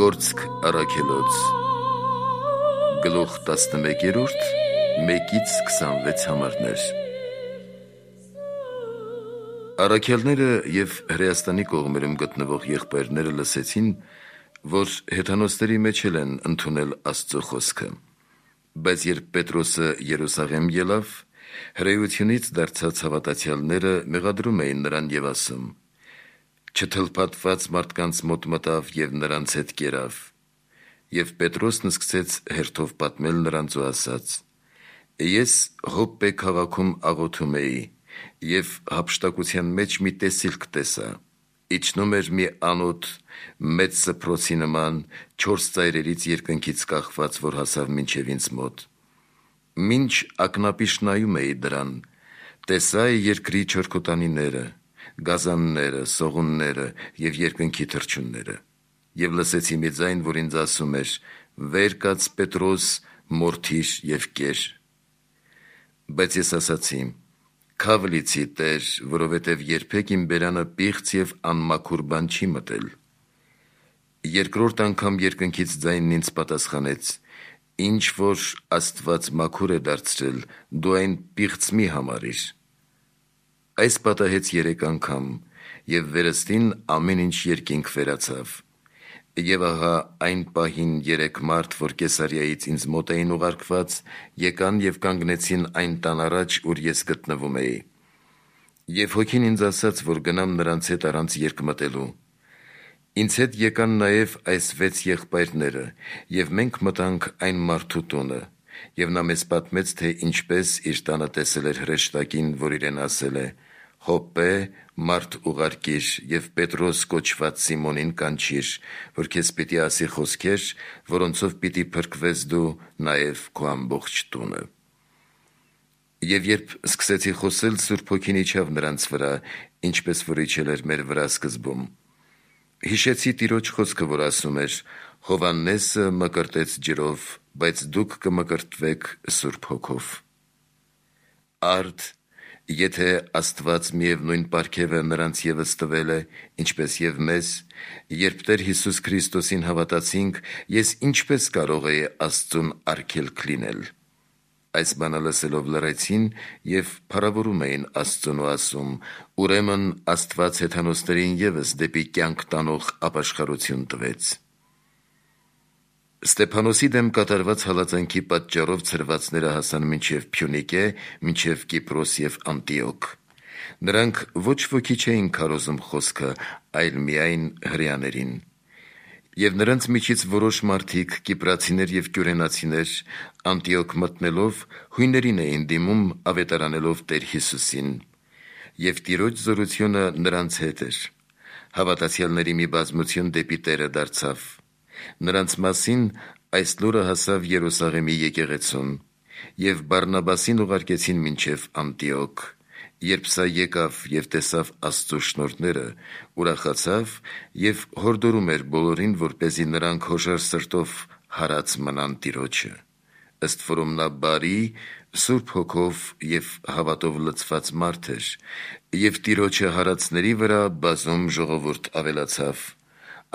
Գործք առաքելոց գլուխ 11-րդ 1-26 համարներ։ Առաքյալները և Հրեաստանի կողմերում գտնվող եղբայրները լսեցին, որ հեթանոսների մեջ էլ են ընդունել Աստծո խոսքը, բայց երբ Պետրոսը Երուսաղեմ ելավ, հրեությունից դարձած հավատացյալները մեղադրում էին նրան և ասում. չթլփատված մարդկանց մոտ մտավ և նրանց հետ կերավ, և Պետրոսն սկսեց հերթով պատմել նրանց ու ասաց. ես Հոպպե քաղաքում աղոթում էի և հափշտակության մեջ մի տեսիլք տեսա. իջնում էր մի անոթ մեծ սփռոցի նման 4 ծայրերից երկնքից կախված, որ հասավ մինչև ինձ մոտ. մինչ ակնապիշ նայում էի դրան, տեսա երկրի չորքոտանիները, գազանները, սողունները և երկնքի թռչունները, և լսեցի մի ձայն, որ ինձ ասում էր. վեր կաց Պետրոս, մորթիր և կեր: Բայց ես ասացի. քավ լիցի Տեր, որովհետև երբեք իմ բերանը պիղծ և անմաքուր բան չի մտել: Երկրորդ անգամ երկնքից ձայնն ինձ պատասխանեց. ինչ որ Աստված մաքուր է դարձրել, դու այն պիղծ մի համարիր: Այս պատահեց 3 անգամ, և վերստին ամեն ինչ երկինք վերացավ: Եվ ահա այն պահին 3 մարդ, որ Կեսարիայից ինձ մոտ էին ուղարկված, եկան և կանգնեցին այն տան առաջ, ուր ես գտնվում էի: Եվ հոգին ինձ ասաց, որ գնամ նրանց հետ առանց երկմտելու: Ինձ հետ եկան նաև այս 6 եղբայրները, և մենք մտանք այն մարդու տունը, և նա մեզ պատմեց, թե ինչպես իր տանը տեսել էր հրեշտակին, որ իրեն ասել է. Հոպպե մարդ ուղարկիր և Պետրոս կոչված Սիմոնին կանչիր, որ քեզ պիտի ասի խոսքեր, որոնցով պիտի փրկվես դու, նաև քո ամբողջ տունը: Եվ երբ սկսեցի խոսել, Սուրբ Հոգին իջավ նրանց վրա, ինչպես որ իջել էր մեր վրա սկզբում: Հիշեցի Տիրոջ խոսքը, որ ասում էր. Հովհաննեսը մկրտեց ջրով, բայց դուք կմկրտվեք Սուրբ Հոգով: Արդ, եթե Աստված միևնույն պարգևը նրանց ևս տվել է, ինչպես և մեզ, երբ Տեր Հիսուս Քրիստոսին հավատացինք, ես ինչպես կարող էի Աստծուն արգելք լինել: Այս բանը լսելով լռեցին և փառավորում էին Աստծուն ու ասում. ուրեմն Աստված հեթանոսներին ևս դեպի կյանք տանող ապաշխարություն տվեց: Ստեփանոսի դեմ կատարված հալածանքի պատճառով ցրվածները հասան մինչև Փյունիկե, մինչև Կիպրոս և Անտիոք: Նրանք ոչ ոքի չէին քարոզում խոսքը, այլ միայն հրեաներին: Եվ նրանց միջից որոշ մարդիկ, կիպրացիներ և կյուրենացիներ, Անտիոք մտնելով, հույներին էին դիմում, ավետարանելով Տեր Հիսուսին: Եվ Տիրոջ զորությունը նրանց հետ էր: Հավատացյալների մի բազմություն դեպի Տերը դարձավ: Նրանց մասին այս լուրը հասավ Երուսաղեմի եկեղեցուն: Եվ Բարնաբասին ուղարկեցին մինչև Անտիոք: Երբ սա եկավ և տեսավ Աստծո շնորհները, ուրախացավ և հորդորում էր բոլորին, որպեսզի նրանք հոժար սրտով հարած մնան Տիրոջը: Ըստ որում նա բարի, Սուրբ Հոգով և հավատով լցված մարդ էր, և Տիրոջը հարածների վրա բազում ժողովուրդ ավելացավ: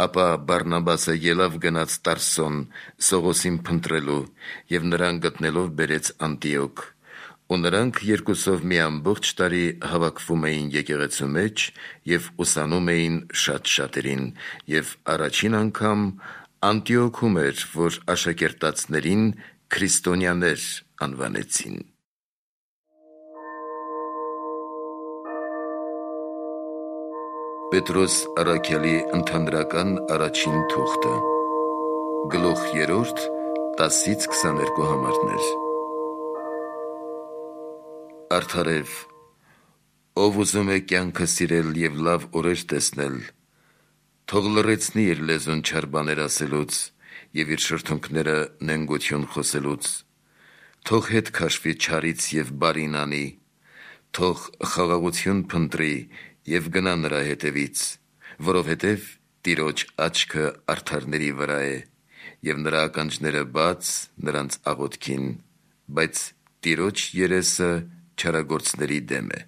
Ապա Բարնաբասը ելավ գնաց Տարսոն, Սողոսին փնտրելու, և նրան գտնելով բերեց Անտիոք: Ու նրանք երկուսով մի ամբողջ տարի հավաքվում էին եկեղեցու մեջ և ուսանում էին շատ շատերին: Եվ առաջին անգամ Անտիոքում էր, որ աշակերտածներին քրիստոնյաներ անվանեցին: Պետրոս առաքյալի ընդհանրական առաջին թուղթը Գլուխ 3 10-22 համարներ։ Արդարև, ով ուզում է կյանքը սիրել և լավ օրեր տեսնել, թող լռեցնի իր լեզուն չար բաներ ասելուց և իր շրթունքները նենգություն խոսելուց: Թող հետ քաշվի չարից և բարին անի: Թող խաղաղություն փնտրի և գնա նրա հետևից: Որովհետև Տիրոջ աչքը արդարների վրա է, և նրա ականջները բաց նրանց աղոթքին, բայց Տիրոջ երեսը չարագործների դեմ է: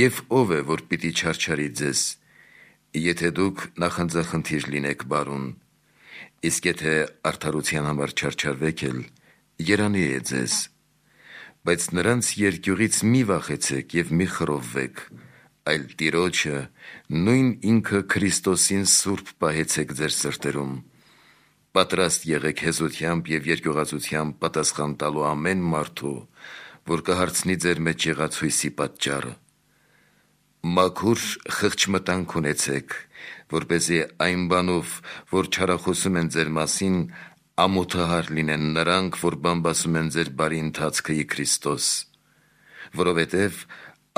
Եվ ո՞վ է, որ պիտի չարչարի ձեզ: Եթե դուք նախանձախնդիր լինեք բարուն, իսկ եթե արդարության համար չարչարվեք էլ, երանի է ձեզ, բայց նրանց երկյուղից մի վախեցեք և մի խռովվեք, այլ Տիրոջը, նույն ինքը Քրիստոսին սուրբ պահեցեք ձեր սրտերում, պատրաստ եղեք հեզությամբ և երկյուղածությամբ պատասխան տալու ամեն մարդու, որ կհարցնի ձեր մեջ եղած հույսի պատճառը։ Մաքուր խղճմտանք ունեցեք, որպեսզի այն բանով, որ չարախոսում են ձեր մասին, ամոթահար լինեն նրանք, որ բամբասում են ձեր բարի ընթացքը ի Քրիստոս, որովհետև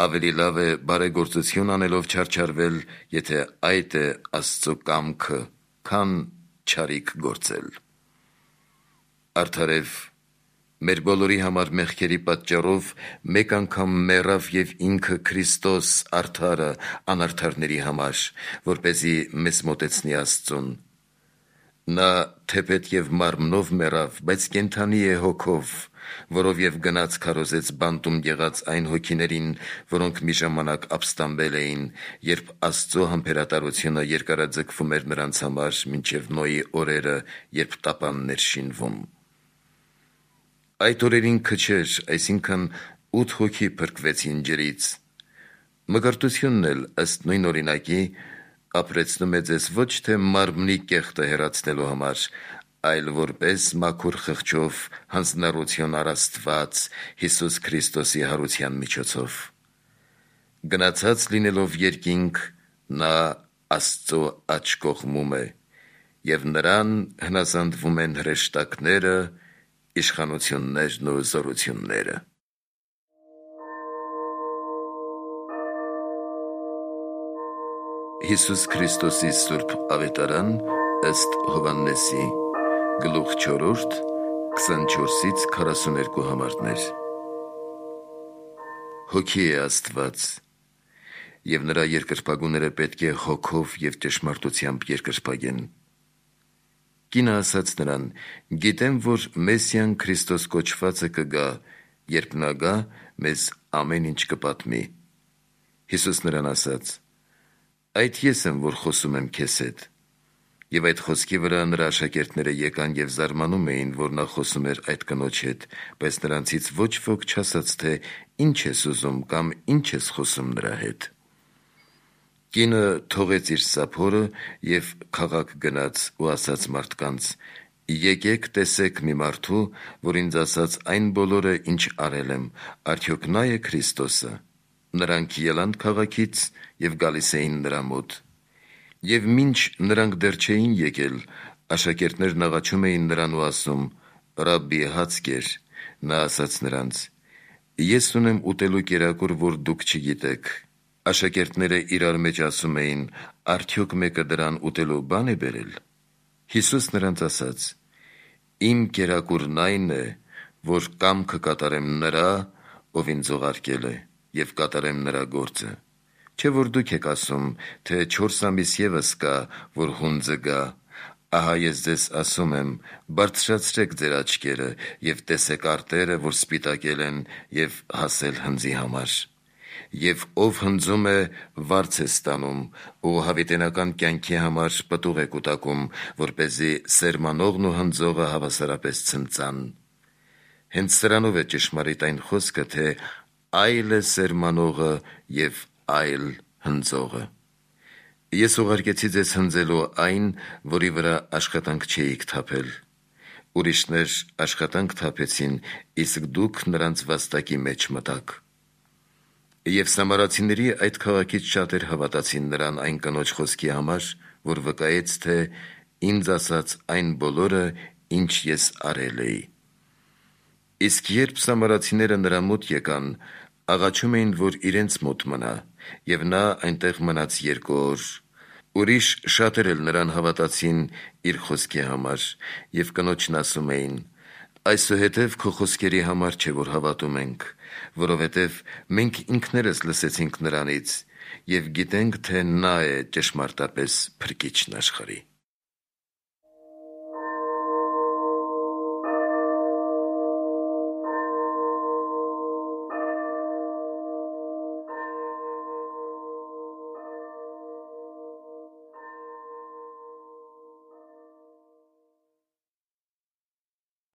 ավելի լավ է բարեգործություն անելով չարչարվել, եթե այդ է Աստծո կամքը, քան չարիք գործել։ Արդարև մեր բոլորի համար մեղքերի պատճառով մեկ անգամ մեռավ և ինքը Քրիստոս արդարը անարդարների համար, որպեսզի մեզ մոտեցնի Աստծուն։ Նա թեպետ և մարմնով մեռավ, բայց կենդանի է հոգով, որով և գնաց քարոզեց բանտում եղած այն հոգիներին, որոնք մի ժամանակ ապստամբել էին, երբ Աստծո համբերատարությունը երկարաձգվում էր նրանց համար մինչև Նոյի օրերը, երբ տապանն էր շինվում։ Այդ օրերին քչեր, այսինքն 8 հոգի փրկվեցին ջրից։ Մկրտությունն էլ ըստ նույն օրինակի ապրեցնում է ձեզ ոչ թե մարմնի կեղտը հեռացնելու համար, այլ որպես մաքուր խղճով հանձնառություն առ Աստված Հիսուս Քրիստոսի հարության միջոցով։ Գնացած լինելով երկինք, նա Աստծո աջ կողմում է, և նրան հնազանդվում են հրեշտակները, իշխանություններն ու զորությունները։ Հիսուս Քրիստոսի սուրբ ավետարան ըստ Հովհաննեսի, գլուխ 4, 24-ից 42 համարներ։ Հոգի է Աստված, և նրա երկրպագուները պետք է հոգով և ճշմարտությամբ երկրպագեն։ Կինը ասաց նրան. «Գիտեմ, որ Մեսիան Քրիստոս կոչվածը կգա, երբ նա գա, մեզ ամեն ինչ կպատմի»։ Հիսուս նրան ասաց. «Այդ ես եմ, որ խոսում եմ քեզ հետ»։ Եվ այդ խոսքի վրա նրա աշակերտները եկան և զարմանում էին, որ նա խոսում էր այդ կնոջ հետ, բայց նրանցից ոչ ոք չասաց, թե ինչ ես ուզում կամ ինչ ես խոսում նրա հետ։ Կինը թողեց իր սափորը և քաղաք գնաց ու ասաց մարդկանց. «Եկեք տեսեք մի մարդու, որ ինձ ասաց այն բոլորը, ինչ արել եմ, արդյոք նա է Քրիստոսը»։ Նրանք ելան քաղաքից և գալիս էին նրա մոտ։ Եվ մինչ նրանք դեռ չէին եկել, աշակերտներն աղաչում էին նրան ու ասում. «Ռաբբի, հաց կեր»։ Նա ասաց նրանց. «Ես ունեմ ուտելու կերակուր, որ դուք չգիտեք»։ Աշակերտները իրար մեջ ասում էին. «Արդյոք մեկը դրան ուտելու բան է բերել»։ Հիսուս նրանց ասաց. «Իմ կերակուրն այն է, որ կամքը կատարեմ նրա, ով ինձ ուղարկել է, և կատարեմ նրա գործը։ Չէ որ դուք եք ասում, թե 4 ամիս ևս կա, որ հունձը գա։ Ահա ես ձեզ ասում եմ. բարձրացրեք ձեր աչքերը և տեսեք արտերը, որ սպիտակել են, և հասել հնձի համար։ Եվ ով հնձում է, վարձ է ստանում, ու հավիտենական կյանքի համար պտուղ է կուտակում, որպեսզի սերմանողն ու հնձողը հավասարապես ցնծան։ Հենց սրանով է ճշմարիտ այն խոսքը, թե այլ է սերմանողը և այլ հնձողը։ Ես ուղարկեցի ձեզ հնձելու այն, որի վրա աշխատանք չէիք թափել։ Ուրիշներ աշխատանք թափեցին, իսկ դուք նրանց վաստակի մեջ մտաք։ Եվ սամարացիների այդ քաղաքից շատեր հավատացին նրան այն կնոջ խոսքի համար, որ վկայեց, թե ինձ ասաց այն բոլորը, ինչ ես արել էի։ Իսկ երբ սամարացիները նրա մոտ եկան, աղաչում էին, որ իրենց մոտ մնա, և նա այնտեղ մնաց 2 օր։ Ուրիշ շատեր էլ նրան հավատացին իր խոսքի համար, և կնոջն ասում էին. «Այսուհետև քո խոսքերի համար չէ, որ հավատում ենք, որովհետև մենք ինքներս լսեցինք նրանից և գիտենք, թե նա է ճշմարտապես Փրկիչն աշխարհի»։